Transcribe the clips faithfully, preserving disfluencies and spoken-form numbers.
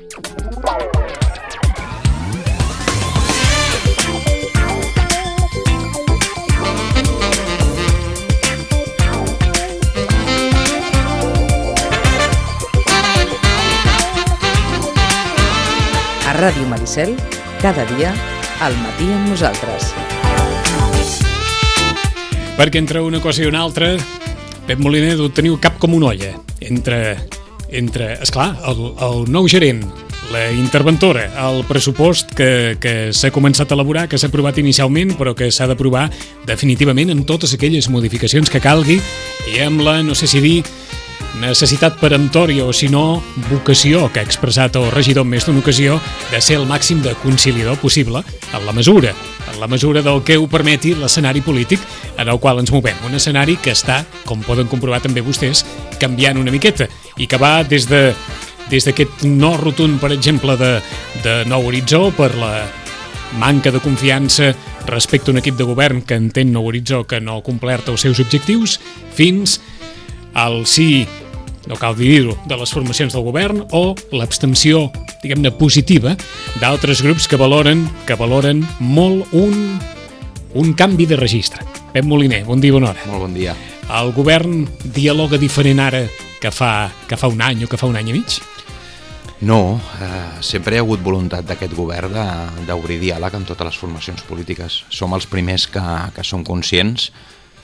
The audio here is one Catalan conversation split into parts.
A Ràdio Maricel, cada dia, al matí amb nosaltres. Perquè entre una cosa i una altra, Pep Moliner, ho teniu cap com una olla. Entre, entre esclar, el, el nou gerent, la interventora, el pressupost que, que s'ha començat a elaborar, que s'ha aprovat inicialment, però que s'ha d'aprovar definitivament amb totes aquelles modificacions que calgui i amb la, no sé si dir, necessitat peremptòria o, si no, vocació que ha expressat el regidor en més d'una ocasió de ser el màxim de conciliador possible en la mesura, en la mesura del que ho permeti l'escenari polític en el qual ens movem. Un escenari que està, com poden comprovar també vostès, canviant una miqueta i que va des de des d'aquest no rotund, per exemple, de, de Nou Horitzó per la manca de confiança respecte a un equip de govern que entén Nou Horitzó que no ha complert els seus objectius, fins al sí, no cal dir-ho, de les formacions del govern o l'abstenció, diguem-ne, positiva d'altres grups que valoren que valoren molt un, un canvi de registre. Pep Moliner, bon dia, bona hora. Molt bon dia. El govern dialoga diferent ara que fa, que fa un any o que fa un any i mig? No, eh, sempre hi ha hagut voluntat d'aquest govern d'obrir diàleg amb totes les formacions polítiques. Som els primers que, que som conscients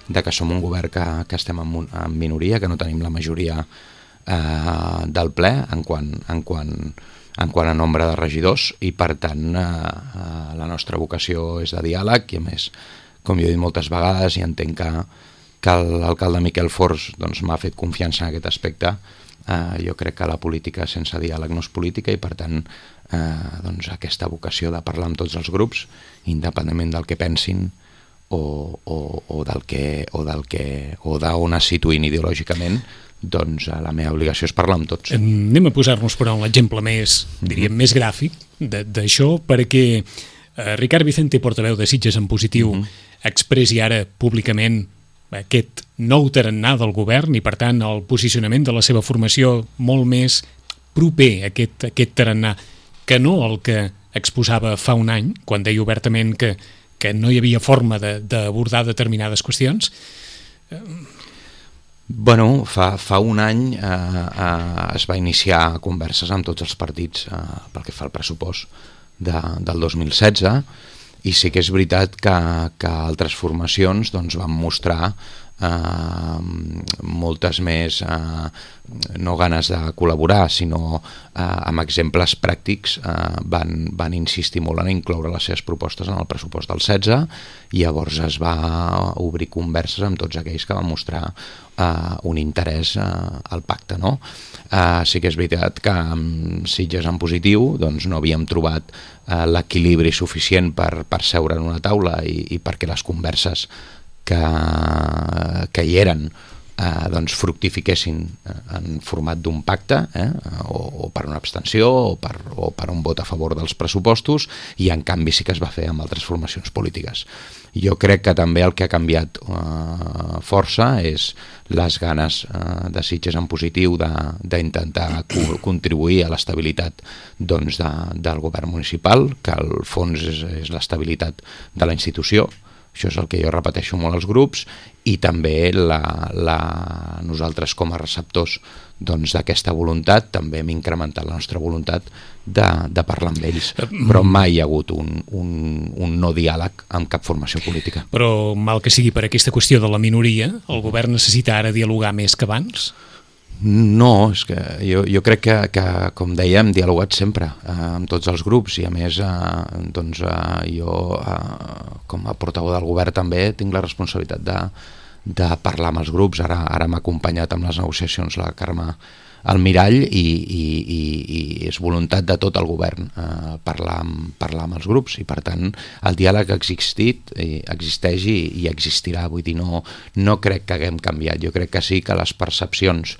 de que som un govern que, que estem en, en minoria, que no tenim la majoria eh, del ple en quant, en, quant, en quant a nombre de regidors i, per tant, eh, eh, la nostra vocació és de diàleg i, a més, com jo he dit moltes vegades i entenc que, que l'alcalde Miquel Fors doncs, m'ha fet confiança en aquest aspecte, eh, jo crec que la política sense diàleg no és política i, per tant, eh, doncs, aquesta vocació de parlar amb tots els grups, independentment del que pensin, o, o, o del que o del que o d'on es situïn ideològicament, doncs la meva obligació és parlar amb tots. Anem a posar-nos però un exemple més, diríem, mm-hmm. més gràfic d'això, perquè eh, Ricard Vicente, portaveu de Sitges en Positiu, mm-hmm. expressi ara públicament aquest nou tarannà del govern i, per tant, el posicionament de la seva formació molt més proper a aquest, aquest tarannà que no el que exposava fa un any, quan deia obertament que que no hi havia forma d'abordar de, determinades qüestions? Bueno, fa, fa un any eh, eh, es va iniciar converses amb tots els partits eh, pel que fa al pressupost de, del dos mil setze i sí que és veritat que, que altres formacions doncs, van mostrar eh, moltes més eh, no ganes de col·laborar, sinó eh, amb exemples pràctics eh, van, van insistir molt en incloure les seves propostes en el pressupost del setze i llavors es va obrir converses amb tots aquells que van mostrar eh, un interès eh, al pacte, no? Eh, sí que és veritat que amb Sitges en Positiu doncs, no havíem trobat eh, l'equilibri suficient per, per seure en una taula i, i perquè les converses que, que hi eren Eh, doncs fructifiquessin en format d'un pacte eh, o, o per una abstenció o per, o per un vot a favor dels pressupostos i en canvi sí que es va fer amb altres formacions polítiques. Jo crec que també el que ha canviat eh, força és les ganes eh, de Sitges en Positiu d'intentar co contribuir a l'estabilitat doncs, de, del govern municipal, que al fons és, és l'estabilitat de la institució. Això és el que jo repeteixo molt als grups i també la, la, nosaltres com a receptors doncs, d'aquesta voluntat també hem incrementat la nostra voluntat de, de parlar amb ells, però mai hi ha hagut un, un, un no diàleg amb cap formació política. Però mal que sigui per aquesta qüestió de la minoria, el govern necessita ara dialogar més que abans? No, és que jo, jo crec que, que, com deia, hem dialogat sempre eh, amb tots els grups i a més eh, doncs, eh, jo eh, com a portaveu del govern també tinc la responsabilitat de, de parlar amb els grups. Ara, ara m'ha acompanyat amb les negociacions la Carme Almirall i, i, i, i és voluntat de tot el govern eh, parlar, amb, parlar amb els grups i per tant el diàleg ha existit, eh, existeix i, i existirà, vull dir, no, no crec que haguem canviat. Jo crec que sí que les percepcions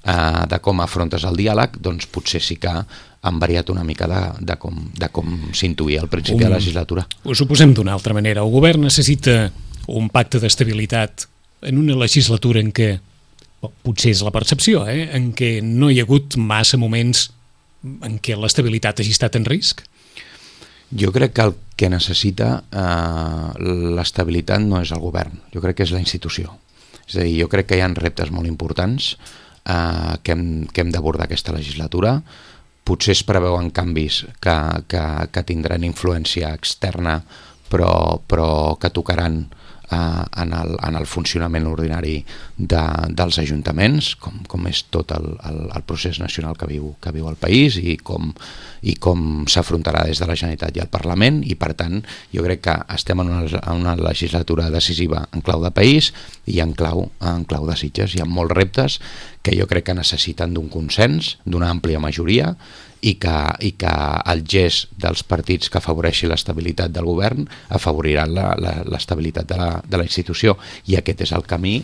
de com afrontes el diàleg, doncs potser sí que han variat una mica de, de com, de com s'intuïa al principi de la legislatura. Ho suposem d'una altra manera. El govern necessita un pacte d'estabilitat en una legislatura en què, potser és la percepció, eh, en què no hi ha hagut massa moments en què l'estabilitat hagi estat en risc? Jo crec que el que necessita eh, l'estabilitat no és el govern, jo crec que és la institució. És a dir, jo crec que hi ha reptes molt importants eh, que hem, que hem d'abordar aquesta legislatura. Potser es preveuen canvis que, que, que tindran influència externa, però, però que tocaran eh, en, el, en el funcionament ordinari de, dels ajuntaments, com, com és tot el, el, el procés nacional que viu, que viu el país i com, i com s'afrontarà des de la Generalitat i el Parlament, i per tant jo crec que estem en una, en una legislatura decisiva en clau de país i en clau, en clau de Sitges. Hi ha molts reptes que jo crec que necessiten d'un consens, d'una àmplia majoria, i que, i que el gest dels partits que afavoreixi l'estabilitat del govern afavoriran l'estabilitat de, la, de la institució, i aquest és el camí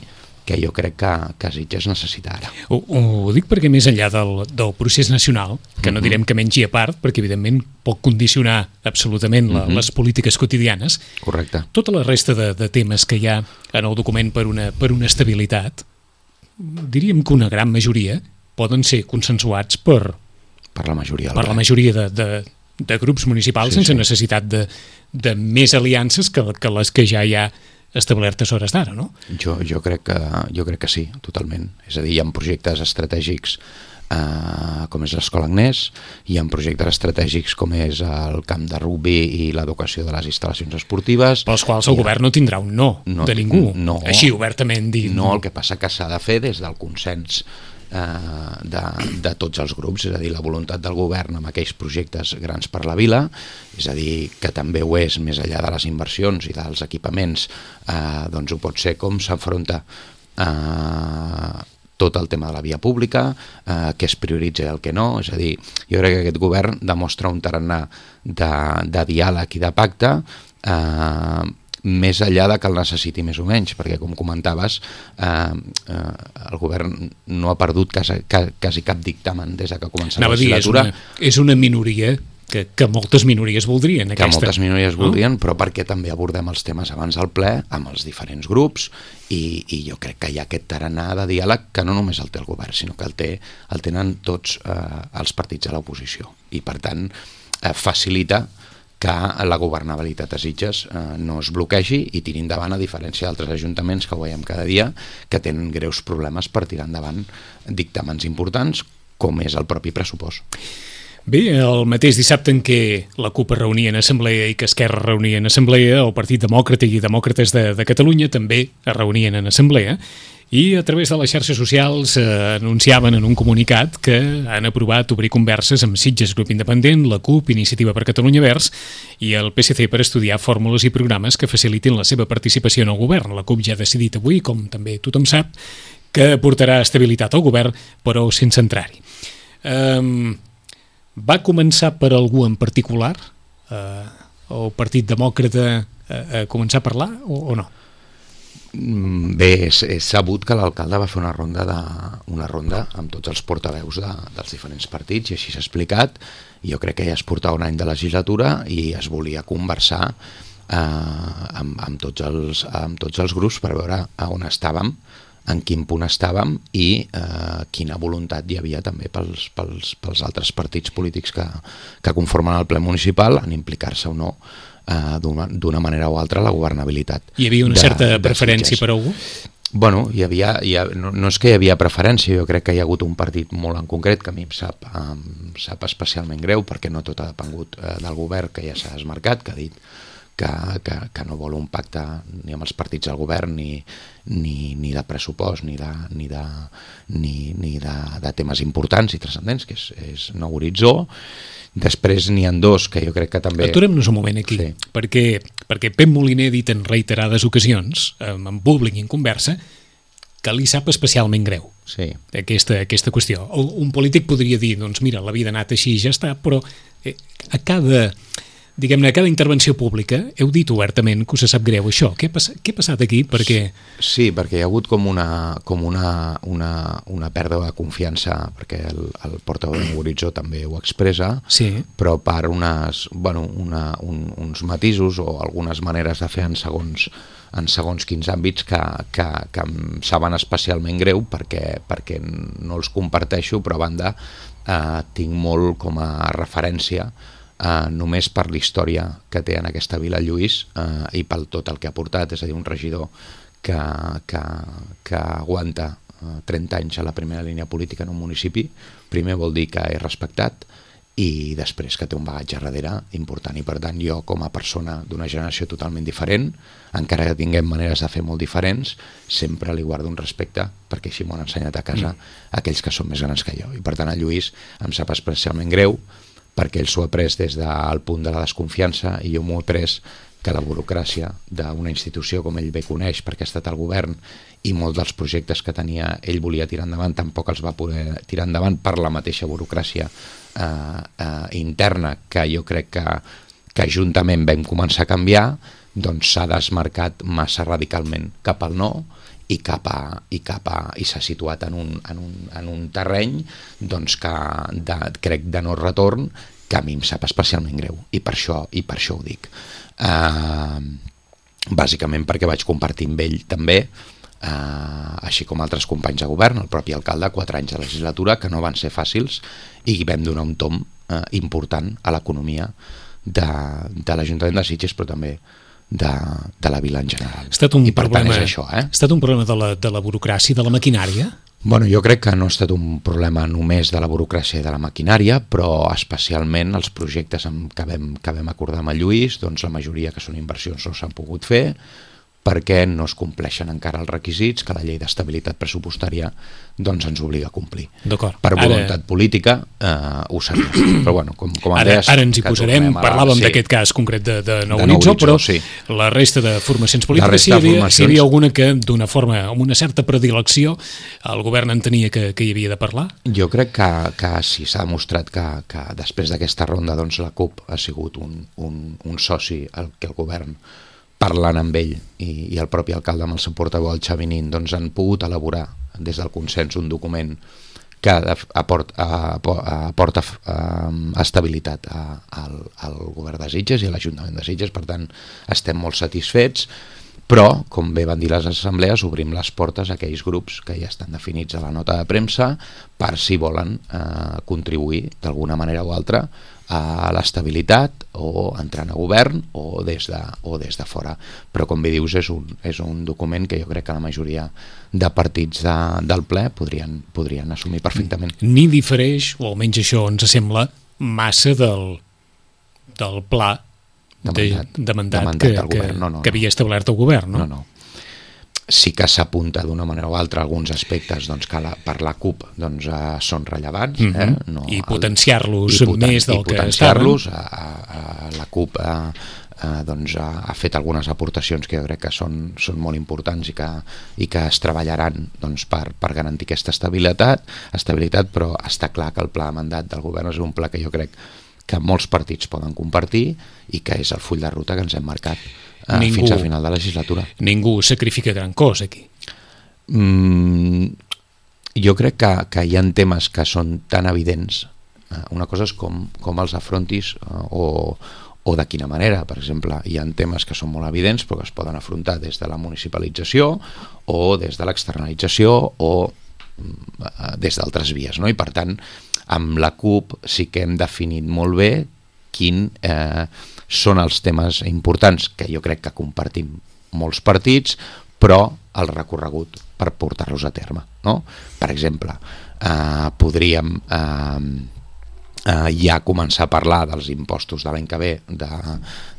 que jo crec que, que Sitges necessita ara. Ho, ho dic perquè més enllà del, del procés nacional, que no direm que mengi a part, perquè evidentment pot condicionar absolutament la, uh-huh. les polítiques quotidianes. Correcte. Tota la resta de, de temes que hi ha en el document per una, per una estabilitat, diríem que una gran majoria poden ser consensuats per, per la majoria, per la majoria de, de, de grups municipals, sí, sense sí. necessitat de, de més aliances que, que les que ja hi ha establertes a hores d'ara, no? Jo, jo, crec que, jo crec que sí, totalment. És a dir, hi ha projectes estratègics eh, com és l'Escola Agnès, hi ha projectes estratègics com és el camp de rugbi i l'educació de les instal·lacions esportives. Pels quals el govern no tindrà un no, no de ningú, no, així obertament dit. No, el que passa que s'ha de fer des del consens De, de tots els grups, és a dir, la voluntat del govern amb aquells projectes grans per la vila, és a dir, que també ho és més enllà de les inversions i dels equipaments, eh, doncs ho pot ser com s'enfronta eh, tot el tema de la via pública, eh, què es prioritza i el que no. És a dir, jo crec que aquest govern demostra un tarannà de, de diàleg i de pacte, eh, més enllà de que el necessiti més o menys, perquè com comentaves eh, eh, el govern no ha perdut quasi, quasi cap dictamen des que ha començat Anava la legislatura. Dir, és, una, és una minoria que, que moltes minories voldrien. Que aquesta. moltes minories voldrien, però perquè també abordem els temes abans del ple amb els diferents grups, i, i jo crec que hi ha aquest tarannà de diàleg que no només el té el govern, sinó que el, té, el tenen tots eh, els partits de l'oposició, i per tant eh, facilita que la governabilitat a Sitges eh, no es bloquegi i tiri endavant, a diferència d'altres ajuntaments que ho veiem cada dia, que tenen greus problemes per tirar endavant dictàmens importants, com és el propi pressupost. Bé, el mateix dissabte en què la CUP es reunia en assemblea i que Esquerra reunia en assemblea, el Partit Demòcrata i Demòcrates de, de Catalunya també es reunien en assemblea, i a través de les xarxes socials eh, anunciaven en un comunicat que han aprovat obrir converses amb Sitges Grup Independent, la CUP, Iniciativa per Catalunya Verds i el P S C per estudiar fórmules i programes que facilitin la seva participació en el govern. La CUP ja ha decidit avui, com també tothom sap, que portarà estabilitat al govern, però sense entrar-hi. Um, va començar per algú en particular? Uh, el Partit Demòcrata a, a començar a parlar o, o no? Bé, és, és sabut que l'alcalde va fer una ronda, de, una ronda amb tots els portaveus de, dels diferents partits, i així s'ha explicat. Jo crec que ja es portava un any de legislatura i es volia conversar eh, amb, amb, tots els, amb tots els grups per veure a on estàvem, en quin punt estàvem i eh, quina voluntat hi havia també pels, pels, pels altres partits polítics que, que conformen el ple municipal en implicar-se o no Uh, d'una manera o altra la governabilitat. Hi havia una de, certa de preferència per algú? Bueno, hi havia, hi ha, no, no és que hi havia preferència, jo crec que hi ha hagut un partit molt en concret que a mi em sap, em sap especialment greu, perquè no tot ha depengut uh, del govern, que ja s'ha desmarcat, que ha dit que, que, que no vol un pacte ni amb els partits del govern ni, ni, ni de pressupost ni de, ni de, ni, ni de, de temes importants i transcendents, que és, és nou horitzó. Després n'hi ha dos que jo crec que també... Aturem-nos un moment aquí, sí. perquè, perquè Pep Moliner ha dit en reiterades ocasions, en públic i en conversa, que li sap especialment greu sí. aquesta, aquesta qüestió. Un polític podria dir, doncs mira, la vida ha anat així i ja està, però a cada diguem-ne, a cada intervenció pública heu dit obertament que us sap greu això. Què ha, pass què ha passat aquí? Perquè... Sí, perquè hi ha hagut com una, com una, una, una pèrdua de confiança, perquè el, el portaveu de Horitzó també ho expressa, sí. però per unes, bueno, una, un, uns matisos o algunes maneres de fer en segons, en segons quins àmbits que, que, que em saben especialment greu perquè, perquè no els comparteixo, però a banda eh, tinc molt com a referència Uh, només per la història que té en aquesta vila Lluís uh, i pel tot el que ha portat, és a dir, un regidor que, que, que aguanta uh, trenta anys a la primera línia política en un municipi, primer vol dir que és respectat i després que té un bagatge darrere important, i per tant jo com a persona d'una generació totalment diferent, encara que tinguem maneres de fer molt diferents, sempre li guardo un respecte perquè així m'ho han ensenyat a casa mm. aquells que són més grans que jo, i per tant a Lluís em sap especialment greu perquè ell s'ho ha pres des del punt de la desconfiança i jo m'ho he pres que la burocràcia d'una institució com ell bé coneix perquè ha estat al govern i molts dels projectes que tenia ell volia tirar endavant tampoc els va poder tirar endavant per la mateixa burocràcia eh, eh, interna que jo crec que, que juntament vam començar a canviar, doncs s'ha desmarcat massa radicalment cap al no i cap a, i cap a, i s'ha situat en un, en un, en un terreny doncs que de, crec de no retorn que a mi em sap especialment greu i per això, i per això ho dic uh, bàsicament perquè vaig compartir amb ell també uh, així com altres companys de govern, el propi alcalde, quatre anys de legislatura que no van ser fàcils i vam donar un tom uh, important a l'economia de, de l'Ajuntament de Sitges però també De, de la vila en general. Ha estat un I per problema, tant és això, eh? Ha estat un problema de la, de la burocràcia, de la maquinària? Bueno, jo crec que no ha estat un problema només de la burocràcia i de la maquinària, però especialment els projectes que vam, que vam acordar amb el Lluís, doncs la majoria que són inversions no s'han pogut fer, perquè no es compleixen encara els requisits que la llei d'estabilitat pressupostària doncs ens obliga a complir. Per voluntat ara... política eh, ho seria. Però bueno, com, com ara, deies, ara ens hi posarem, la... parlàvem sí. d'aquest cas concret de, de Nou Horitzó, però sí. la resta de formacions polítiques, si hi havia, formacions... si hi havia alguna que d'una forma, amb una certa predilecció, el govern entenia que, que hi havia de parlar? Jo crec que, que sí, s'ha demostrat que, que després d'aquesta ronda doncs, la CUP ha sigut un, un, un soci al que el govern parlant amb ell i, i el propi alcalde amb el seu portaveu, el Xavi Nin, doncs han pogut elaborar des del consens un document que aporta, aporta estabilitat a, al, al govern de Sitges i a l'Ajuntament de Sitges, per tant estem molt satisfets, però, com bé van dir les assemblees, obrim les portes a aquells grups que ja estan definits a la nota de premsa per si volen eh, contribuir d'alguna manera o altra a l'estabilitat o entrant a govern o des de, o des de fora. Però com bé dius és un, és un document que jo crec que la majoria de partits de, del ple podrien, podrien assumir perfectament. Ni difereix, o almenys això ens sembla, massa del, del pla de mandat, de, de mandat, de mandat que, que, no, no, que havia establert el govern, no? No, no. Sí que s'apunta d'una manera o altra alguns aspectes doncs, que la, per la CUP doncs, eh, són rellevants. Eh? Mm-hmm. no, I potenciar-los poten més del i que potenciar-los. A, a, a la CUP a, a, doncs, a, ha fet algunes aportacions que jo crec que són, són molt importants i que, i que es treballaran doncs, per, per garantir aquesta estabilitat, estabilitat, però està clar que el pla de mandat del govern és un pla que jo crec que molts partits poden compartir i que és el full de ruta que ens hem marcat Uh, ningú, fins al final de la legislatura. Ningú sacrifica gran cosa aquí. Mm, jo crec que, que hi ha temes que són tan evidents. Uh, una cosa és com, com els afrontis uh, o, o de quina manera. Per exemple, hi ha temes que són molt evidents però que es poden afrontar des de la municipalització o des de l'externalització o uh, des d'altres vies, no? I per tant, amb la CUP sí que hem definit molt bé quin eh, són els temes importants que jo crec que compartim molts partits, però el recorregut per portar-los a terme, no? Per exemple, eh, podríem eh, eh, ja començar a parlar dels impostos de l'any que ve de,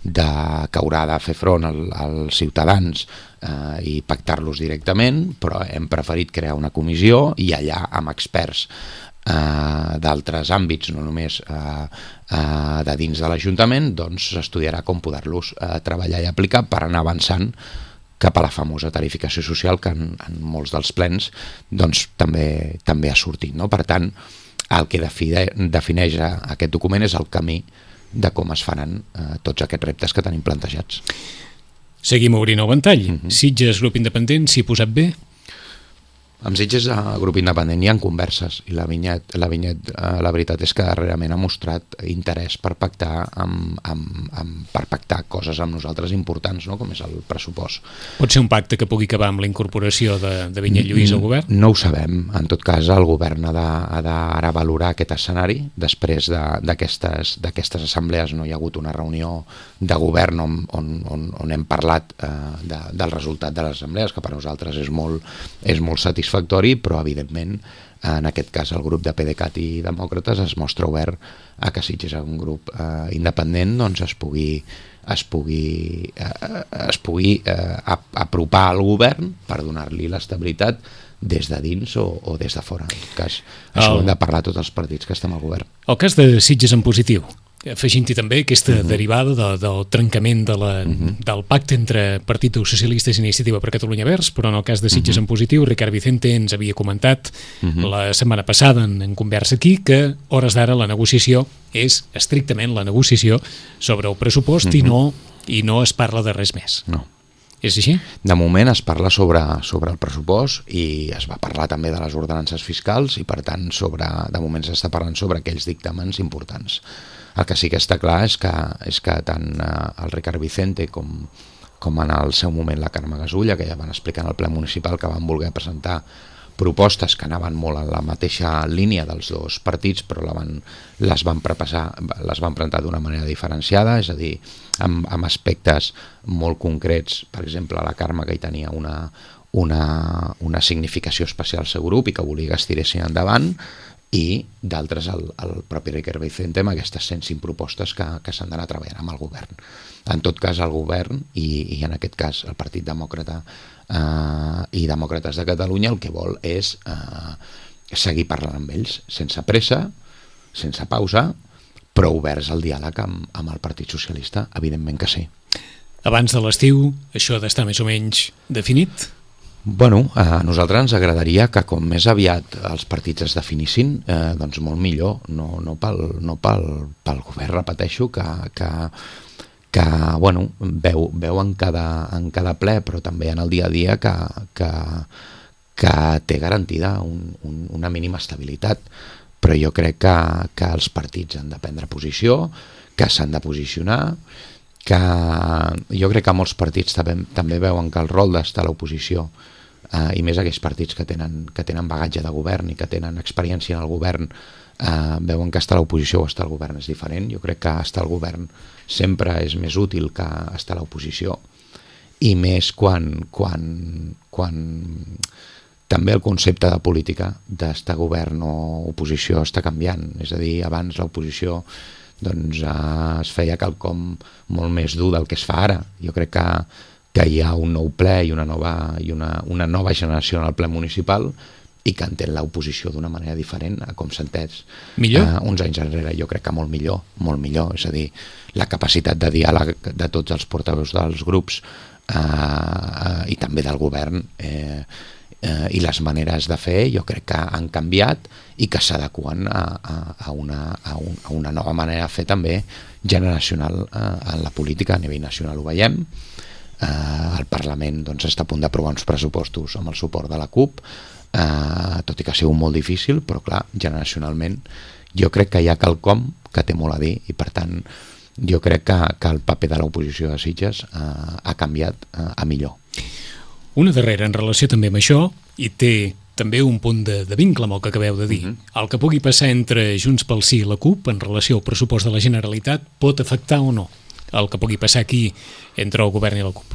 de, que haurà de fer front al, als ciutadans eh, i pactar-los directament, però hem preferit crear una comissió i allà amb experts Uh, d'altres àmbits, no només uh, uh, de dins de l'Ajuntament, doncs s'estudiarà com poder-los uh, treballar i aplicar per anar avançant cap a la famosa tarificació social que en, en molts dels plens doncs, també, també ha sortit, no? Per tant, el que define, defineix aquest document és el camí de com es faran eh, tots aquests reptes que tenim plantejats. Seguim obrint el ventall. Uh-huh. Sitges, grup independent, s'hi ha posat bé? Amb Sitges, a grup independent, hi ha converses i la Vinyet, la, Vinyet eh, la veritat és que darrerament ha mostrat interès per pactar amb, amb, amb, per pactar coses amb nosaltres importants, no? Com és el pressupost. Pot ser un pacte que pugui acabar amb la incorporació de, de Vinyet Lluís al govern? No ho sabem. En tot cas, el govern ha d'ara valorar aquest escenari. Després d'aquestes de, d'aquestes assemblees no hi ha hagut una reunió de govern on, on, on, on hem parlat eh, de, del resultat de les assemblees, que per nosaltres és molt, és molt satisfactori, però evidentment en aquest cas el grup de PDeCAT i Demòcrates es mostra obert a que Sitges és un grup eh, independent, doncs es pugui es pugui, eh, es pugui eh, apropar al govern per donar-li l'estabilitat des de dins o, o des de fora. En tot cas, això el... hem de parlar tots els partits que estem al govern. El cas de Sitges en positiu, afegint-hi també aquesta uh-huh. derivada de, del trencament de la, uh-huh. del pacte entre Partit dels Socialistes i Iniciativa per Catalunya Verds, però en el cas de Sitges uh-huh. en positiu, Ricard Vicente ens havia comentat uh-huh. la setmana passada en, en conversa aquí que hores d'ara la negociació és estrictament la negociació sobre el pressupost uh-huh. i, no, i no es parla de res més. No. És així? De moment es parla sobre, sobre el pressupost i es va parlar també de les ordenances fiscals i per tant sobre, de moment s'està parlant sobre aquells dictàmens importants. El que sí que està clar és que, és que tant eh, el Ricard Vicente com, com en el seu moment la Carme Gasulla, que ja van explicar en el ple municipal que van voler presentar propostes que anaven molt en la mateixa línia dels dos partits, però la van, les, van prepassar, les van presentar d'una manera diferenciada, és a dir, amb, amb aspectes molt concrets. Per exemple, la Carme, que hi tenia una, una, una significació especial al seu grup i que volia que es tiressin endavant, i d'altres el, el propi Ricard Vicente amb aquestes cent cinc propostes que, que s'han d'anar treballant amb el govern. En tot cas, el govern i, i en aquest cas el Partit Demòcrata eh, i Demòcrates de Catalunya el que vol és eh, seguir parlant amb ells sense pressa, sense pausa, però oberts al diàleg amb, amb el Partit Socialista, evidentment que sí. Abans de l'estiu, això ha d'estar més o menys definit? Bueno, a nosaltres ens agradaria que com més aviat els partits es definissin, eh, doncs molt millor, no, no, pel, no pel, pel govern, repeteixo, que, que, que bueno, veu, veu en, cada, en cada ple, però també en el dia a dia que, que, que té garantida un, un, una mínima estabilitat. Però jo crec que, que els partits han de prendre posició, que s'han de posicionar, que jo crec que molts partits també, també veuen que el rol d'estar a l'oposició eh, i més aquells partits que tenen, que tenen bagatge de govern i que tenen experiència en el govern eh, veuen que estar a l'oposició o estar al govern és diferent. Jo crec que estar al govern sempre és més útil que estar a l'oposició i més quan, quan, quan també el concepte de política d'estar govern o oposició està canviant. És a dir, abans l'oposició doncs eh, es feia quelcom molt més dur del que es fa ara. Jo crec que, que hi ha un nou ple i una nova, i una, una nova generació en el ple municipal i que entén l'oposició d'una manera diferent a com s'ha entès eh, uns anys enrere. Jo crec que molt millor, molt millor. És a dir, la capacitat de diàleg de tots els portaveus dels grups eh, eh, i també del govern eh, eh, i les maneres de fer jo crec que han canviat i que s'adequen a, a, a, una, a, un, a una nova manera de fer també generacional eh, en la política. A nivell nacional ho veiem, eh, el Parlament doncs, està a punt d'aprovar uns pressupostos amb el suport de la CUP, eh, tot i que ha sigut molt difícil, però clar, generacionalment jo crec que hi ha quelcom que té molt a dir i per tant jo crec que, que el paper de l'oposició de Sitges eh, ha canviat eh, a millor. Una darrera en relació també amb això, i té també un punt de, de vincle amb el que acabeu de dir. Uh-huh. El que pugui passar entre Junts pel Sí i la CUP en relació al pressupost de la Generalitat pot afectar o no el que pugui passar aquí entre el govern i la CUP?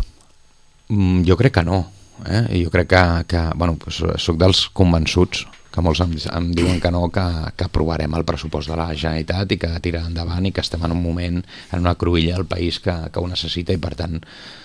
Mm, jo crec que no. Eh? Jo crec que, que bueno, pues, soc dels convençuts que molts em, em diuen que no, que, que aprovarem el pressupost de la Generalitat i que tirarà endavant i que estem en un moment, en una cruïlla del país que, que ho necessita i per tant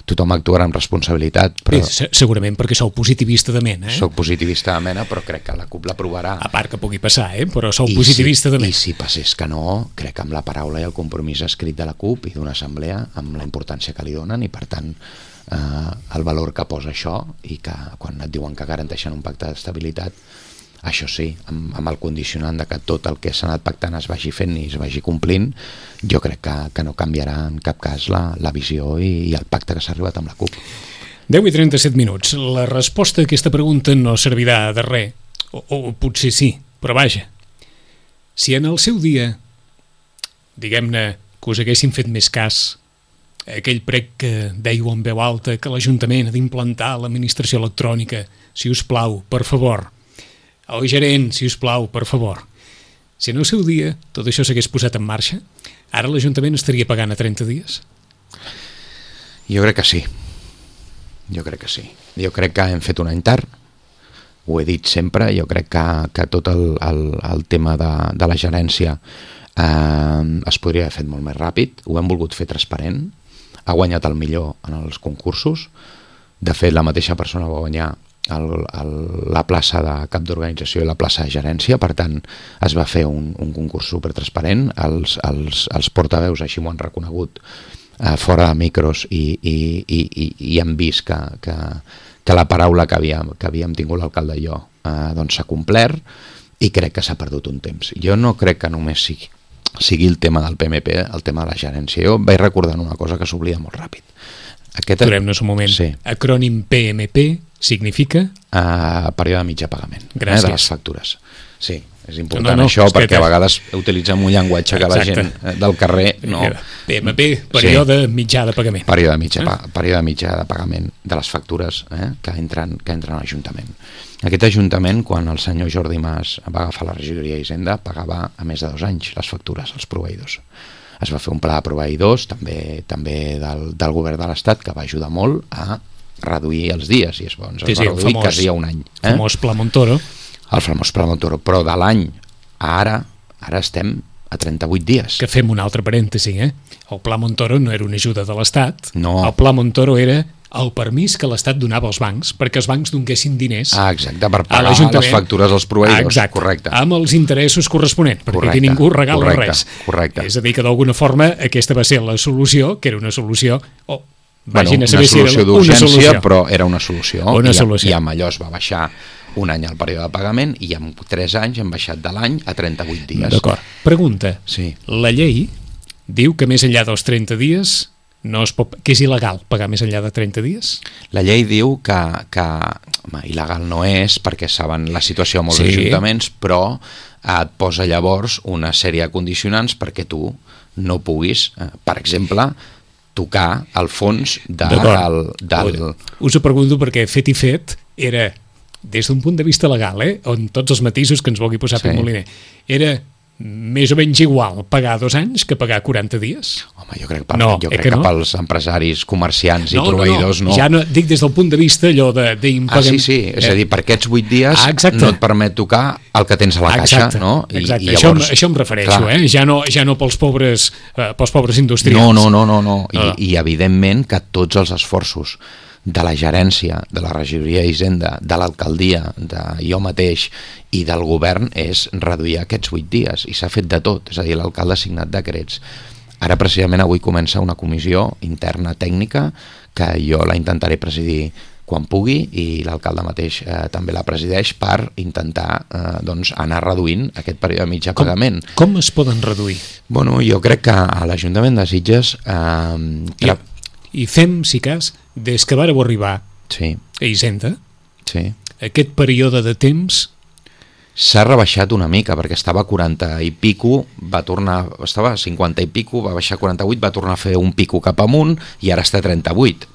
tothom actuarà amb responsabilitat. Però... Sí, segurament perquè sou positivista de mena. Eh? Soc positivista de mena, però crec que la CUP l'aprovarà. A part que pugui passar, eh? Però sou I positivista si, de mena. I si passés que no, crec que amb la paraula i el compromís escrit de la CUP i d'una assemblea, amb la importància que li donen i per tant eh, el valor que posa això i que quan et diuen que garanteixen un pacte d'estabilitat Això sí, amb, amb el condicionant de que tot el que s'ha anat pactant es vagi fent i es vagi complint, jo crec que, que no canviarà en cap cas la, la visió i, i el pacte que s'ha arribat amb la CUP. deu i trenta-set minuts. La resposta a aquesta pregunta no servirà de res, o, o potser sí, però vaja. Si en el seu dia, diguem-ne, que us haguessin fet més cas aquell prec que dèieu en veu alta que l'Ajuntament ha d'implantar l'administració electrònica, si us plau, per favor, el gerent, si us plau, per favor. Si en el seu dia tot això s'hagués posat en marxa, ara l'Ajuntament estaria pagant a trenta dies? Jo crec que sí. Jo crec que sí. Jo crec que hem fet un any tard, ho he dit sempre, jo crec que, que tot el, el, el tema de, de la gerència eh, es podria haver fet molt més ràpid, ho hem volgut fer transparent, ha guanyat el millor en els concursos, de fet la mateixa persona va guanyar el, el, la plaça de cap d'organització i la plaça de gerència, per tant es va fer un, un concurs supertransparent, els, els, els portaveus així m'ho han reconegut eh, fora de micros i, i, i, i, i hem vist que, que, que la paraula que havíem, que havíem tingut l'alcalde i jo eh, doncs s'ha complert i crec que s'ha perdut un temps. Jo no crec que només sigui, sigui el tema del P M P, el tema de la gerència. Jo vaig recordant una cosa que s'oblida molt ràpid. Aquest... Aturem-nos un moment. Sí. Acrònim P M P significa? Uh, període de mitjà pagament. Gràcies. Eh, de les factures. Sí, és important no, no, això perquè que... a vegades utilitzem un llenguatge que Exacte. La gent del carrer no... P M P, període sí. mitjà de pagament. Període mitjà, eh? període mitjà de pagament de les factures eh? que, entren, que entren a l'Ajuntament. Aquest Ajuntament, quan el senyor Jordi Mas va agafar la regidoria d'Hisenda, pagava a més de dos anys les factures als proveïdors. Es va fer un pla de proveïdors també, també del, del govern de l'Estat que va ajudar molt a reduir els dies i es, doncs, sí, es va sí, reduir famós, quasi a un any. El eh? famós Pla Montoro. El famós Pla Montoro, però de l'any a ara, ara estem a trenta-vuit dies. Que fem un altre parèntesi, eh? El Pla Montoro no era una ajuda de l'Estat, no. El Pla Montoro era el permís que l'Estat donava als bancs perquè els bancs donessin diners ah, exacte, per pagar les factures als proveïdors. Exacte, correcte. Amb els interessos corresponents, perquè correcte, aquí ningú regala correcte, res. Correcte. És a dir, que d'alguna forma aquesta va ser la solució, que era una solució... Oh, bueno, una si solució era d'urgència, una solució. Però era una solució. Una I, solució. I amb allò es va baixar un any al període de pagament i en tres anys hem baixat de l'any a trenta-vuit dies. D'acord. Pregunta. Sí. La llei diu que més enllà dels trenta dies no es pot, que és il·legal pagar més enllà de trenta dies? La llei diu que, que home, il·legal no és perquè saben la situació a molts sí. ajuntaments, però et posa llavors una sèrie de condicionants perquè tu no puguis, eh, per exemple, tocar el fons de, del, del... Us ho pregunto perquè fet i fet era, des d'un punt de vista legal, eh, on tots els matisos que ens vulgui posar sí. Pep Moliner, era més o menys igual pagar dos anys que pagar quaranta dies? Home, jo crec, per, no, jo eh crec que, que no? pels empresaris, comerciants no, i proveïdors no. no. Ja no, dic des del punt de vista allò de... de ah, sí, sí, és a dir, per aquests vuit dies ah, no et permet tocar el que tens a la caixa, exacte, no? I, exacte, i llavors, això, això em refereixo, clar. eh? Ja no, ja no pels pobres, eh, pels pobres industrials. No, no, no, no, no. I, no. I evidentment que tots els esforços de la gerència, de la regidoria d'Hisenda, de l'alcaldia, de jo mateix i del govern és reduir aquests vuit dies i s'ha fet de tot, és a dir, l'alcalde ha signat decrets. Ara precisament avui comença una comissió interna tècnica que jo la intentaré presidir quan pugui i l'alcalde mateix eh, també la presideix per intentar eh, doncs, anar reduint aquest període de mitjà com, pagament. Com es poden reduir? Bueno, jo crec que a l'Ajuntament de Sitges eh, I, i fem, si cas, des que vàreu arribar sí. a Hisenda, sí. aquest període de temps s'ha rebaixat una mica perquè estava a quaranta i pico, va tornar, estava a cinquanta i pico, va baixar a quaranta-vuit, va tornar a fer un pico cap amunt i ara està a trenta-vuit.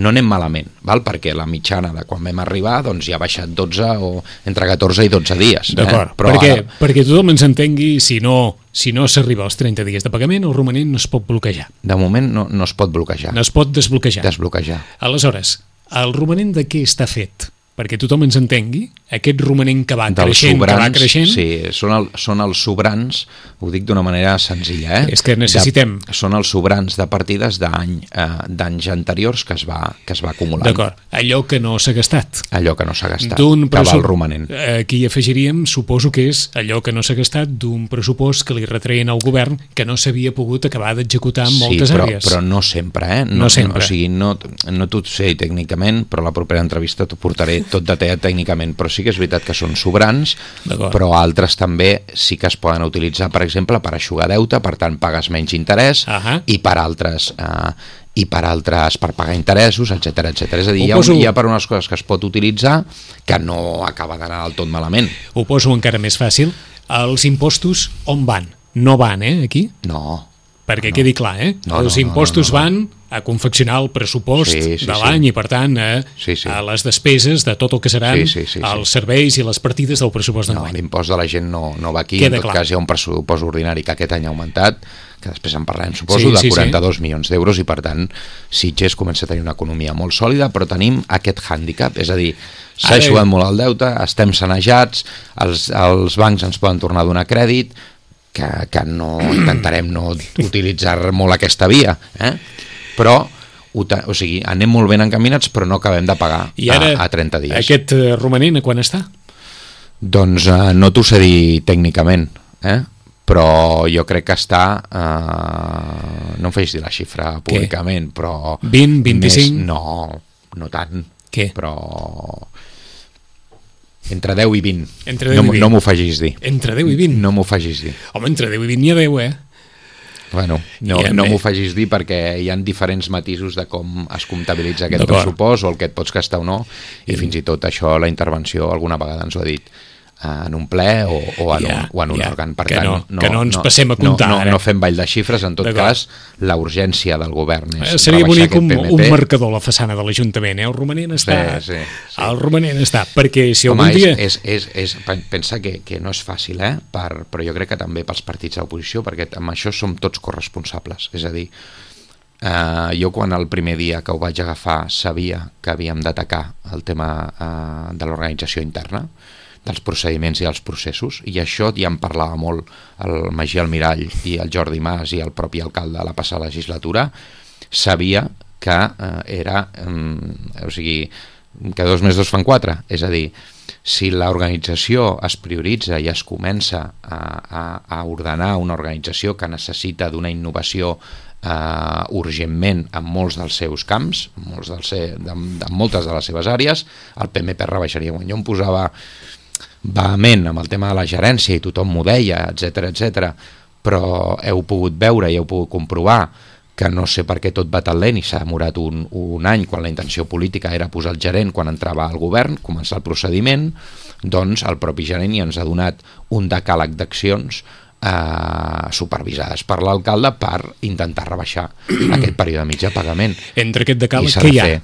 No anem malament, val? Perquè la mitjana de quan vam arribar doncs ja ha baixat dotze o entre catorze i dotze dies. D'acord, eh? Però perquè, ara... perquè tothom ens entengui, si no si no s'arriba als trenta dies de pagament, el romanent no es pot bloquejar. De moment no, no es pot bloquejar. No es pot desbloquejar. Desbloquejar. Aleshores, el romanent de què està fet? Perquè tothom ens entengui, aquest romanent que va dels creixent, sobrans, que va creixent... Sí, són, el, són els sobrans, ho dic d'una manera senzilla, eh? És que necessitem... De, són els sobrans de partides d'any eh, d'anys anteriors que es va, que es va acumulant. D'acord, allò que no s'ha gastat. Allò que no s'ha gastat, que va al romanent. Aquí afegiríem, suposo que és allò que no s'ha gastat d'un pressupost que li retreien al govern que no s'havia pogut acabar d'executar en sí, moltes però, àrees. però no sempre, eh? No, no sempre. No, o sigui, no, no t'ho sé tècnicament, però a la propera entrevista t'ho portaré tot detallat tècnicament, però sí que és veritat que són sobrants, però altres també sí que es poden utilitzar, per exemple, per eixugar deute, per tant pagues menys interès, uh-huh. i per altres... Eh, i per altres per pagar interessos, etcètera, etcètera. És a dir, hi ha, poso... hi ha per unes coses que es pot utilitzar que no acaba d'anar del tot malament. Ho poso encara més fàcil. Els impostos on van? No van, eh, aquí? No. Perquè no. quedi clar, eh? No, els no, impostos no, no, no. van a confeccionar el pressupost sí, sí, de l'any sí. i, per tant, a, sí, sí. a les despeses de tot el que seran sí, sí, sí, sí. els serveis i les partides del pressupost d'enguany. No, l'impost de la gent no, no va aquí. Queda en tot clar. cas hi ha un pressupost ordinari que aquest any ha augmentat, que després en parlarem, suposo, sí, de sí, quaranta-dos sí. milions d'euros, i per tant Sitges comença a tenir una economia molt sòlida, però tenim aquest hàndicap, és a dir, s'ha eixugat molt el deute, estem sanejats, els, els bancs ens poden tornar a donar crèdit, que, que no intentarem no utilitzar molt aquesta via, eh? Però o sigui, anem molt ben encaminats, però no acabem de pagar I ara, a, a trenta dies. Aquest uh, romanent a quan està? Doncs uh, no t'ho sé dir tècnicament, eh? Però jo crec que està, uh, no em facis dir la xifra públicament, Què? però... vint, vint-i-cinc? Més, no, no tant. Què? Però... Entre deu i vint. Entre deu no, i vint. No m'ho facis dir. Entre deu i vint? No m'ho facis dir. Home, entre deu i vint n'hi ha deu, eh? Bueno, no, no m'ho facis dir perquè hi ha diferents matisos de com es comptabilitza aquest pressupost o el que et pots gastar o no, i fins i tot això la intervenció alguna vegada ens ho ha dit en un ple o, o en ja, un, o en un ja, òrgan. Per que tant, no, no, que no ens no, passem a comptar no, no, ara. No fem ball de xifres, en tot cas la urgència del govern és eh, seria bonic un, un P M P. marcador a la façana de l'Ajuntament, eh? El romanent està, sí, sí, sí. el romanent està, perquè si Home, algun dia... És, és, és, és, pensa que, que no és fàcil, eh? Per, però jo crec que també pels partits d'oposició, perquè amb això som tots corresponsables, és a dir, Uh, jo quan el primer dia que ho vaig agafar sabia que havíem d'atacar el tema uh, de l'organització interna, dels procediments i els processos, i això ja en parlava molt el Magí Almirall i el Jordi Mas i el propi alcalde a la passada legislatura. Sabia que uh, era um, o sigui, que dos més dos fan quatre, és a dir, si l'organització es prioritza i es comença a, a, a ordenar una organització que necessita d'una innovació Uh, urgentment en molts dels seus camps, molts dels se, de, de moltes de les seves àrees, el P M P rebaixaria. Quan jo em posava vehement amb el tema de la gerència i tothom m'ho deia, etcètera, etcètera, però heu pogut veure i heu pogut comprovar que no sé per què tot va tan lent i s'ha demorat un, un any quan la intenció política era posar el gerent quan entrava al govern, començar el procediment, doncs el propi gerent ja ens ha donat un decàleg d'accions Uh, supervisades per l'alcalde per intentar rebaixar aquest període mig de pagament. Entre aquest decàleg, què hi ha? Fer,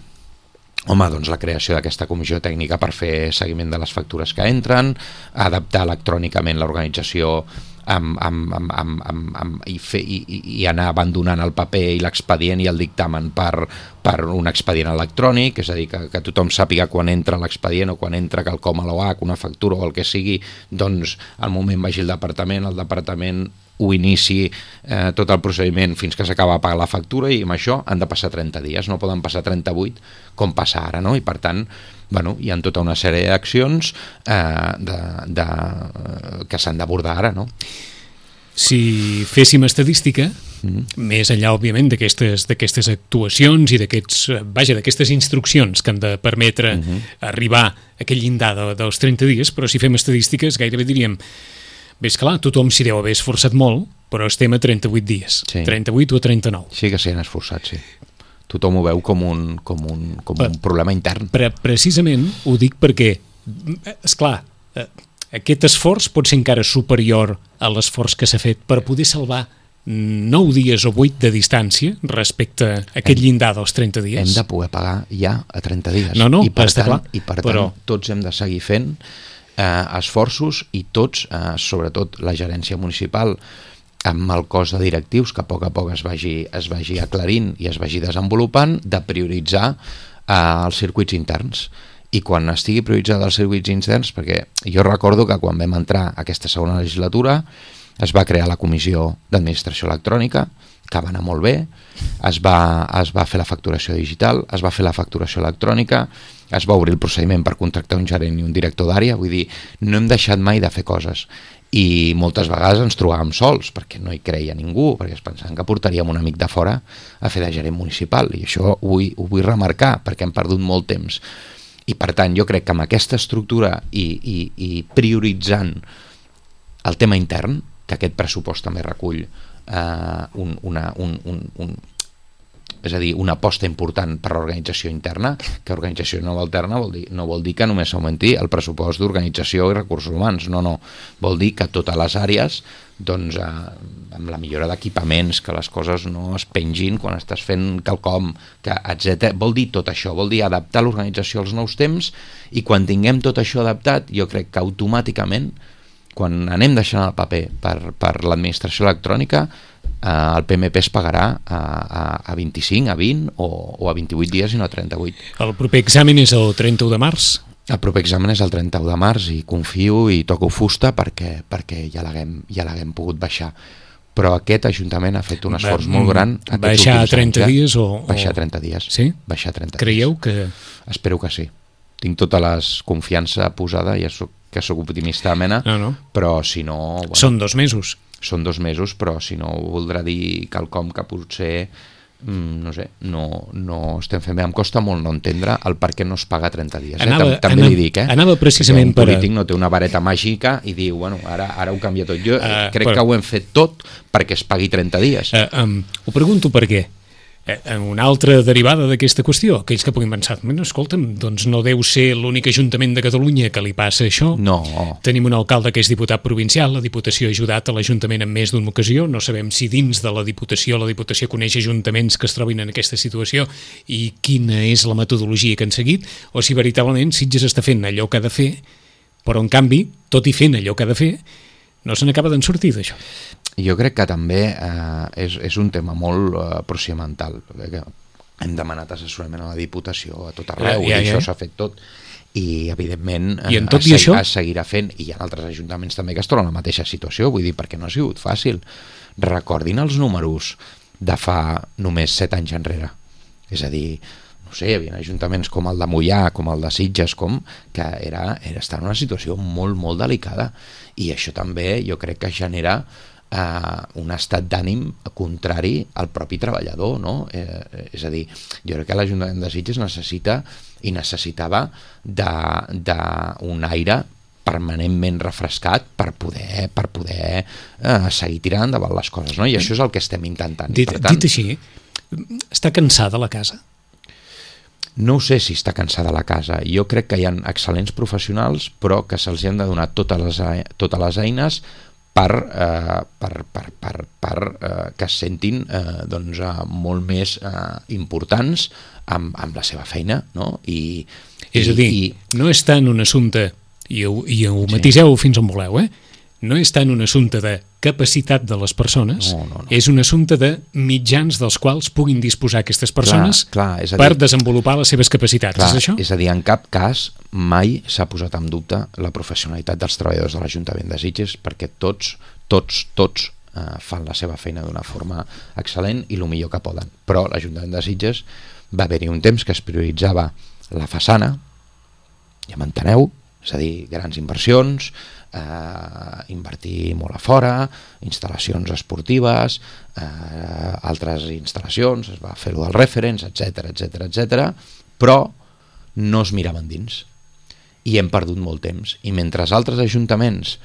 home, doncs la creació d'aquesta comissió tècnica per fer seguiment de les factures que entren, adaptar electrònicament l'organització amb, amb, amb, amb, amb, amb, i, fer, i, i anar abandonant el paper i l'expedient i el dictamen per, per un expedient electrònic, és a dir, que, que tothom sàpiga quan entra l'expedient o quan entra quelcom a l'O H, una factura o el que sigui, doncs al moment vagi el departament, el departament ho inici eh, tot el procediment fins que s'acaba de pagar la factura, i amb això han de passar trenta dies, no poden passar trenta-vuit com passa ara, no? I per tant, bueno, hi ha tota una sèrie d'accions eh, de, de, que s'han d'abordar ara, no? Si féssim estadística, mm. més enllà, òbviament, d'aquestes d'aquestes actuacions i d'aquests, vaja, d'aquestes instruccions que han de permetre mm-hmm. arribar a aquell llindar de, dels trenta dies, però si fem estadístiques gairebé diríem, ves clar, tothom s'hi deu haver esforçat molt, però estem a trenta-vuit dies, sí. trenta-vuit o trenta-nou. Sí que s'hi han esforçat, sí. Tothom ho veu com un, com un, com un problema intern. Pre precisament ho dic perquè, esclar, aquest esforç pot ser encara superior a l'esforç que s'ha fet per poder salvar nou dies o vuit de distància respecte a aquest hem, llindar dels trenta dies. Hem de poder pagar ja a trenta dies. No, no, I per està tant, clar. I per però... tant, tots hem de seguir fent eh, esforços, i tots, eh, sobretot la gerència municipal, amb el cos de directius que a poc a poc es vagi, es vagi aclarint i es vagi desenvolupant, de prioritzar eh, els circuits interns. I quan estigui prioritzat els circuits interns, perquè jo recordo que quan vam entrar a aquesta segona legislatura es va crear la comissió d'administració electrònica, que va anar molt bé, es va, es va fer la facturació digital, es va fer la facturació electrònica, es va obrir el procediment per contractar un gerent i un director d'àrea, vull dir, no hem deixat mai de fer coses. I moltes vegades ens trobàvem sols perquè no hi creia ningú, perquè es pensaven que portaríem un amic de fora a fer de gerent municipal, i això ho vull, ho vull remarcar perquè hem perdut molt temps. I per tant jo crec que amb aquesta estructura i, i, i prioritzant el tema intern, que aquest pressupost també recull eh, un, una, un, un, un, és a dir, una aposta important per l'organització interna, que organització nova alterna vol dir, no vol dir que només s'augmenti el pressupost d'organització i recursos humans, no, no, vol dir que totes les àrees, doncs, eh, amb la millora d'equipaments, que les coses no es pengin quan estàs fent quelcom, que etcètera. Vol dir tot això, vol dir adaptar l'organització als nous temps, i quan tinguem tot això adaptat, jo crec que automàticament, quan anem deixant el paper per, per l'administració electrònica, eh, el P M P es pagarà a, a, a vint-i-cinc, a vint o, o a vint-i-vuit dies i no a trenta-vuit. El proper examen és el trenta-u de març? El proper examen és el trenta-u de març i confio i toco fusta perquè, perquè ja l'haguem ja l'haguem pogut baixar. Però aquest Ajuntament ha fet un esforç Va, molt gran. Baixar a trenta anys, dies? O, baixar a trenta dies. Sí? Baixar a trenta Creieu dies. que... Espero que sí. Tinc tota la confiança posada, ja soc, que sóc optimista de mena, no, no. però si no... Bueno, són dos mesos. Són dos mesos, però si no voldrà dir quelcom que potser... no sé, no, no estem fent bé. Em costa molt no entendre el per què no es paga trenta dies. Anava, eh? També anava, li dic, eh? Anava precisament un polític per... no té una vareta màgica i diu, bueno, ara, ara ho canvia tot. Jo uh, crec però... que ho hem fet tot perquè es pagui trenta dies. Uh, um, ho pregunto per què. Eh, una altra derivada d'aquesta qüestió, aquells que puguin pensar, escolta'm, doncs no deu ser l'únic Ajuntament de Catalunya que li passa això. No. Tenim un alcalde que és diputat provincial, la Diputació ha ajudat a l'Ajuntament en més d'una ocasió, no sabem si dins de la Diputació la Diputació coneix ajuntaments que es trobin en aquesta situació i quina és la metodologia que han seguit, o si veritablement Sitges està fent allò que ha de fer, però en canvi, tot i fent allò que ha de fer, no se n'acaba d'en sortir d'això. Jo crec que també eh, és, és un tema molt eh, procedimental. Hem demanat assessorament a la Diputació a tot arreu, ja, ja, ja. I això s'ha fet tot. I, evidentment, I en tot es, i això? es seguirà fent. I hi ha altres ajuntaments també que es troben en la mateixa situació, vull dir, perquè no ha sigut fàcil. Recordin els números de fa només set anys enrere. És a dir, no sé, hi havia ajuntaments com el de Moià, com el de Sitges, com que era, era estar en una situació molt, molt delicada. I això també jo crec que genera Uh, un estat d'ànim contrari al propi treballador, no? Eh, és a dir, jo crec que l'Ajuntament de Sitges necessita i necessitava d'un aire permanentment refrescat per poder, per poder uh, seguir tirant endavant les coses, no? I això és el que estem intentant. Dit, tant, dit així, està cansada la casa? No sé si està cansada la casa. Jo crec que hi ha excel·lents professionals, però que se'ls han de donar totes les, totes les eines per, eh, per, per, per, per eh, que es sentin eh, doncs, eh, molt més eh, importants amb, amb la seva feina, no? I, és i, a dir, i... no és tant un assumpte, i ho, i ho matiseu sí. fins on voleu, eh? No és tant un assumpte de capacitat de les persones, no, no, no. és un assumpte de mitjans dels quals puguin disposar aquestes persones clar, clar, per dir, desenvolupar les seves capacitats, clar, és això? És a dir, en cap cas mai s'ha posat en dubte la professionalitat dels treballadors de l'Ajuntament de Sitges, perquè tots, tots, tots eh, fan la seva feina d'una forma excel·lent i el millor que poden. Però l'Ajuntament de Sitges va haver-hi un temps que es prioritzava la façana, ja m'enteneu, és a dir, grans inversions, eh, invertir molt a fora, instal·lacions esportives, eh, altres instal·lacions, es va fer-ho del referents, etcètera, etcètera, etcètera, però no es miraven dins. I hem perdut molt temps. I mentre altres ajuntaments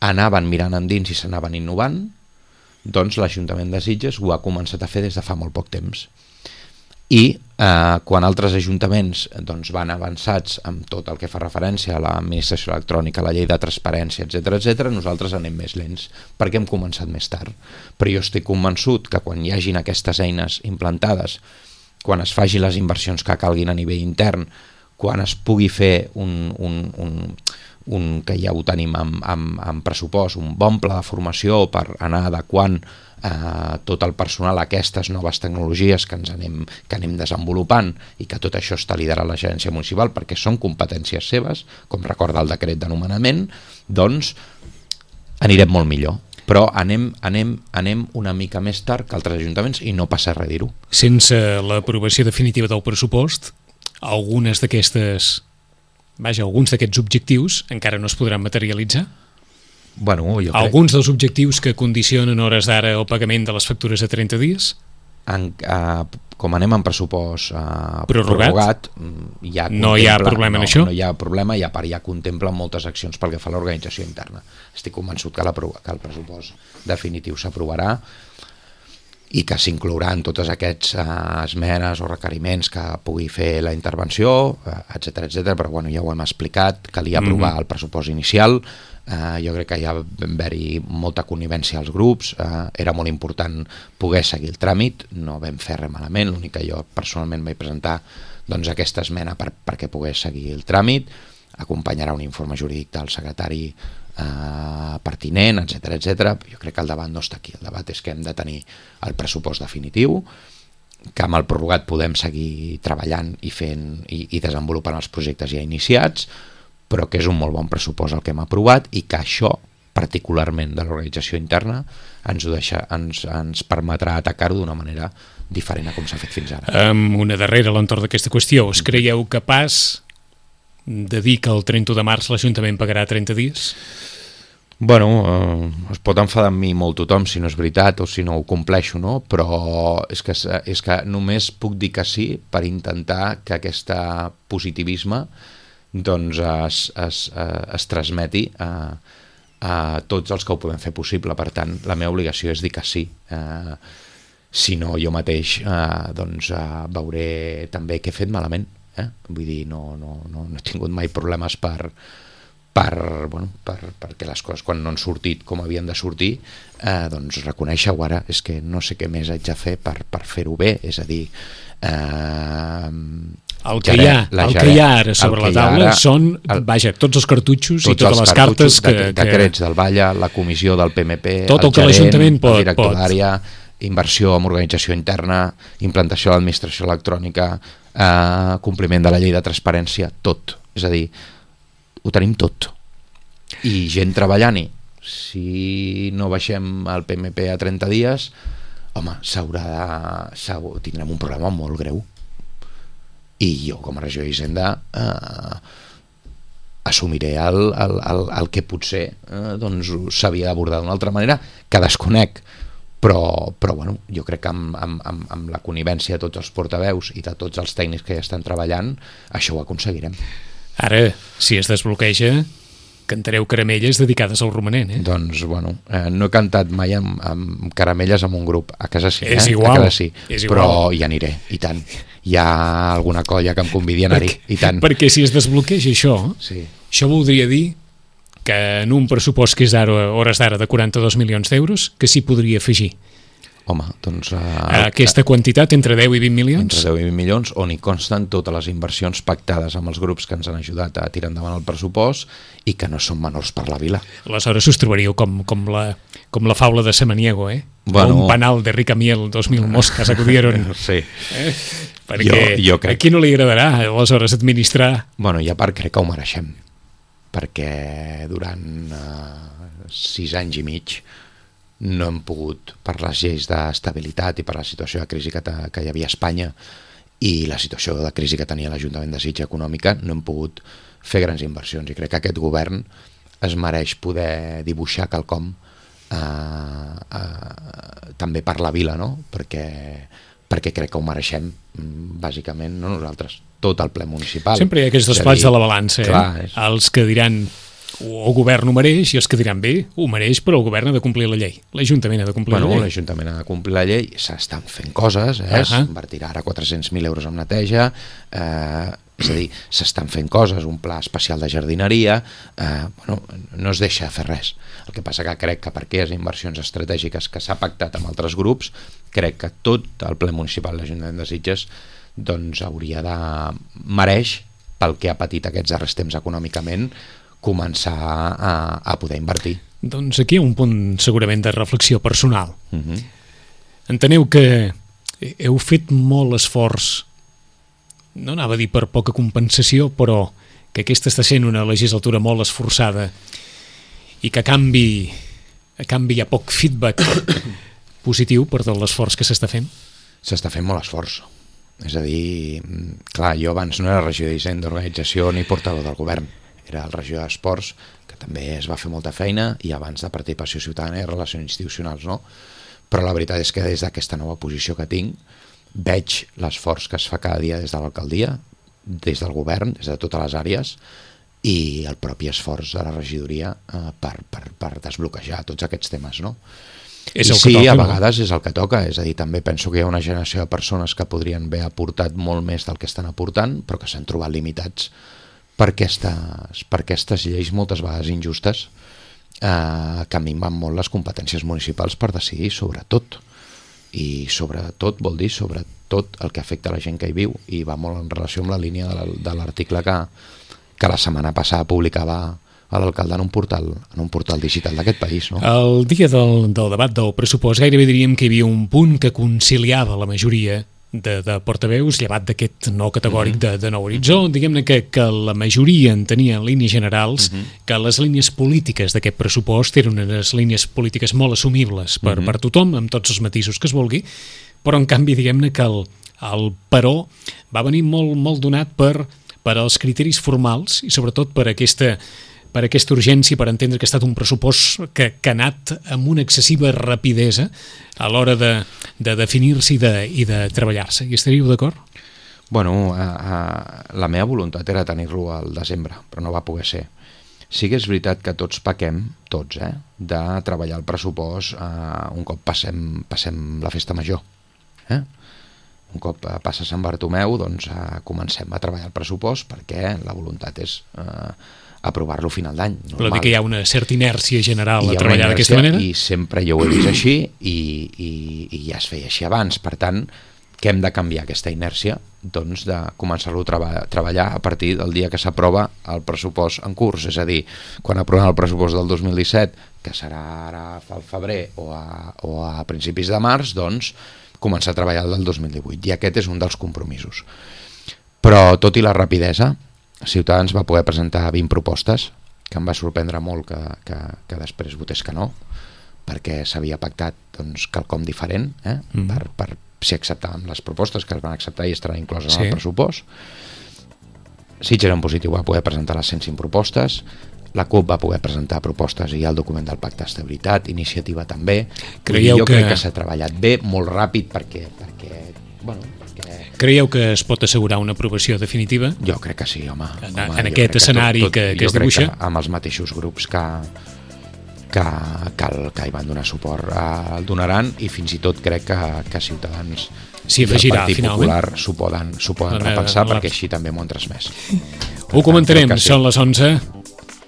anaven mirant endins i s'anaven innovant, doncs l'Ajuntament de Sitges ho ha començat a fer des de fa molt poc temps. I eh, quan altres ajuntaments doncs, van avançats amb tot el que fa referència a l'administració electrònica, a la llei de transparència, etcètera, etcètera, nosaltres anem més lents, perquè hem començat més tard. Però jo estic convençut que quan hi hagin aquestes eines implantades, quan es faci les inversions que calguin a nivell intern, quan es pugui fer un, un, un, un que ja ho tenim amb, amb, amb pressupost, un bon pla de formació per anar adequant eh, tot el personal a aquestes noves tecnologies que ens anem, que anem desenvolupant i que tot això està liderat la gerència municipal perquè són competències seves, com recorda el decret de nomenament, doncs anirem molt millor. Però anem, anem, anem una mica més tard que altres ajuntaments i no passa res dir-ho. Sense l'aprovació definitiva del pressupost, algunes d'aquestes, vaja, alguns d'aquests objectius encara no es podran materialitzar? Bueno, jo crec... Alguns dels objectius que condicionen hores d'ara el pagament de les factures a trenta dies? en, eh, com anem en pressupost eh, prorrogat, prorrogat ja no hi ha problema no, en això? No hi ha problema, i a part ja contempla moltes accions pel que fa a l'organització interna. Estic convençut que, la, que el pressupost definitiu s'aprovarà i que s'inclouran totes aquestes uh, esmenes o requeriments que pugui fer la intervenció, uh, etcètera, etcètera, però bueno, ja ho hem explicat, calia aprovar mm-hmm. el pressupost inicial, uh, jo crec que ja va haver-hi molta connivència als grups, uh, era molt important poder seguir el tràmit, no vam fer res malament, l'únic que jo personalment vaig presentar doncs, aquesta esmena per, perquè pogués seguir el tràmit, acompanyarà un informe jurídic del secretari Uh, pertinent, etcètera, etcètera. Jo crec que el debat no està aquí, el debat és que hem de tenir el pressupost definitiu, que amb el prorrogat podem seguir treballant i fent i, i desenvolupant els projectes ja iniciats, però que és un molt bon pressupost el que hem aprovat i que això, particularment de l'organització interna, ens, ho deixa, ens, ens permetrà atacar-ho d'una manera diferent a com s'ha fet fins ara. Um, una darrera a l'entorn d'aquesta qüestió. Us creieu capaç de dir que el trenta de març l'Ajuntament pagarà trenta dies? Bueno, eh, es pot enfadar amb mi molt tothom si no és veritat o si no ho compleixo, no? Però és que, és que només puc dir que sí per intentar que aquest positivisme doncs es, es, es transmeti a, a tots els que ho podem fer possible. Per tant, la meva obligació és dir que sí. Eh, si no, jo mateix eh, doncs, eh, veuré també què he fet malament. Eh? Vull dir, no, no, no, no he tingut mai problemes per, per, bueno, per, perquè les coses quan no han sortit com havien de sortir, eh, doncs reconèixer-ho ara, és que no sé què més haig de fer per, per fer-ho bé, és a dir eh, el que, hi ha, el que hi ha ara sobre la taula ara, són el, vaja, tots els cartutxos tots i totes les cartes que, de, decrets que... del Valla, la comissió del P M P, tot el, el que l'Ajuntament pot, el director d'àrea, inversió en organització interna, implantació de l'administració electrònica, eh, compliment de la llei de transparència, tot. És a dir, ho tenim tot. I gent treballant-hi. Si no baixem el P M P a trenta dies, home, s'haurà de... tindrem un problema molt greu. I jo, com a regió d'Hisenda, eh, assumiré el, el, el, el que potser eh, doncs, s'havia d'abordar d'una altra manera, que desconec. Però, però bueno, jo crec que amb, amb, amb, amb la connivència de tots els portaveus i de tots els tècnics que ja estan treballant, això ho aconseguirem. Ara, si es desbloqueja, cantareu caramelles dedicades al romanent, eh? Doncs, bueno, eh, no he cantat mai amb, amb caramelles amb un grup, a casa sí, eh? És igual, a casa sí. És però igual. hi aniré, i tant. Hi ha alguna colla que em convidi a anar-hi, i tant. Perquè si es desbloqueja això, sí. Això voldria dir que en un pressupost que és ara, hores d'ara de quaranta-dos milions d'euros, que s'hi podria afegir. Home, doncs... Uh, aquesta quantitat, entre deu i vint milions? Entre deu i vint milions, on hi consten totes les inversions pactades amb els grups que ens han ajudat a tirar endavant el pressupost i que no són menors per la vila. Aleshores us trobaríeu com, com, la, com la faula de Samaniego, eh? Bueno, un panal de rica miel, dos mil mosques acudieron. Sí. Eh? Perquè jo, jo crec... a qui no li agradarà, aleshores, administrar... Bueno, i a part crec que ho mereixem, perquè durant uh, sis anys i mig no hem pogut, per les lleis d'estabilitat i per la situació de crisi que, que hi havia a Espanya i la situació de crisi que tenia l'Ajuntament de Sitges econòmica, no hem pogut fer grans inversions, i crec que aquest govern es mereix poder dibuixar quelcom eh, eh, també per la vila, no? perquè, perquè crec que ho mereixem, bàsicament, no nosaltres, tot el ple municipal. Sempre hi ha aquests dos plats de la balança, eh? Clar, és... els que diran o el govern ho mereix i els que diran bé, ho mereix, però el govern ha de complir la llei, l'Ajuntament ha de complir bueno, la llei. L'Ajuntament ha de complir la llei, s'estan fent coses, eh? Uh-huh. Invertirà ara quatre-cents mil euros en neteja, eh, és a dir, s'estan fent coses, un pla especial de jardineria, eh, bueno, no es deixa fer res. El que passa que crec que per aquelles inversions estratègiques que s'ha pactat amb altres grups, crec que tot el ple municipal de l'Ajuntament de Sitges doncs hauria de mereix, pel que ha patit aquests darrers temps econòmicament, començar a, a poder invertir. Doncs aquí hi ha un punt segurament de reflexió personal. Uh-huh. Enteneu que heu fet molt esforç, no anava a dir per poca compensació, però que aquesta està sent una legislatura molt esforçada i que a canvi, a canvi hi ha poc feedback positiu per tot l'esforç que s'està fent? S'està fent molt esforç. És a dir, clar, jo abans no era regidor d'Hisenda, d'organització ni portador del govern. Era el regidor d'Esports, que també es va fer molta feina, i abans de participació ciutadana i relacions institucionals, no? però la veritat és que des d'aquesta nova posició que tinc veig l'esforç que es fa cada dia des de l'alcaldia, des del govern, des de totes les àrees, i el propi esforç de la regidoria eh, per, per, per desbloquejar tots aquests temes, no? És I el sí, que toca, a no? vegades és el que toca, és a dir, també penso que hi ha una generació de persones que podrien haver aportat molt més del que estan aportant, però que s'han trobat limitats per aquestes, per aquestes lleis moltes vegades injustes eh, que minven molt les competències municipals per decidir sobre tot. I sobretot vol dir sobre tot el que afecta la gent que hi viu, i va molt en relació amb la línia de l'article que, que la setmana passada publicava a l'alcalde en un portal en un portal digital d'aquest país, no? El dia del, del debat del pressupost gairebé diríem que hi havia un punt que conciliava la majoria de, de portaveus, llevat d'aquest no categòric de, de nou horitzó, diguem-ne que, que la majoria entenia en línies generals uh -huh. que les línies polítiques d'aquest pressupost eren unes línies polítiques molt assumibles per, uh -huh. per tothom, amb tots els matisos que es vulgui, però en canvi diguem-ne que el, el però va venir molt, molt donat per, per als criteris formals i sobretot per aquesta per aquesta urgència, per entendre que ha estat un pressupost que, que ha anat amb una excessiva rapidesa a l'hora de, de definir-se i de, i de treballar-se. Hi estaríeu d'acord? Bueno, a, a, la meva voluntat era tenir-lo al desembre, però no va poder ser. Sí que és veritat que tots pequem, tots, eh, de treballar el pressupost eh, un cop passem, passem la festa major. Eh? Un cop passa Sant Bartomeu, doncs eh, comencem a treballar el pressupost perquè la voluntat és eh, aprovar-lo a final d'any. Vol dir que hi ha una certa inèrcia general I a treballar d'aquesta manera? I sempre jo ho he vist així i, i, i ja es feia així abans. Per tant, què hem de canviar aquesta inèrcia? Doncs de començar-lo a treba treballar a partir del dia que s'aprova el pressupost en curs. És a dir, quan aprovem el pressupost del dos mil disset, que serà ara al febrer o a, o a principis de març, doncs començar a treballar el del dos mil divuit. I aquest és un dels compromisos. Però, tot i la rapidesa, Ciutadans va poder presentar vint propostes, que em va sorprendre molt que, que, que després votés que no, perquè s'havia pactat doncs, quelcom diferent eh? mm. per, per si acceptàvem les propostes que es van acceptar i estaran incloses sí. en el pressupost. Sitges en Positiu va poder presentar les cent cinc propostes, la CUP va poder presentar propostes i el document del Pacte d'Estabilitat, Iniciativa també. Creieu jo que... crec que s'ha treballat bé, molt ràpid, perquè, perquè bueno, Creieu que es pot assegurar una aprovació definitiva? Jo crec que sí, home. En, home en aquest escenari tot, tot, que, que es dibuixa? Jo crec que amb els mateixos grups que, que, que, el, que hi van donar suport eh, el donaran, i fins i tot crec que, que Ciutadans s'hi i el afegirà, Partit finalment. Popular s'ho poden, s'ho poden la, repensar, la, la... perquè així també m'ho han transmès. Ho comentarem, sí. Són les onze.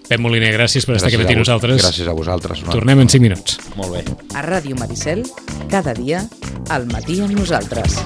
Pep Moliner, gràcies per gràcies estar aquí amb nosaltres. Gràcies a vosaltres. No? Tornem en cinc minuts. Molt bé. A Ràdio Maricel, cada dia, al matí amb nosaltres.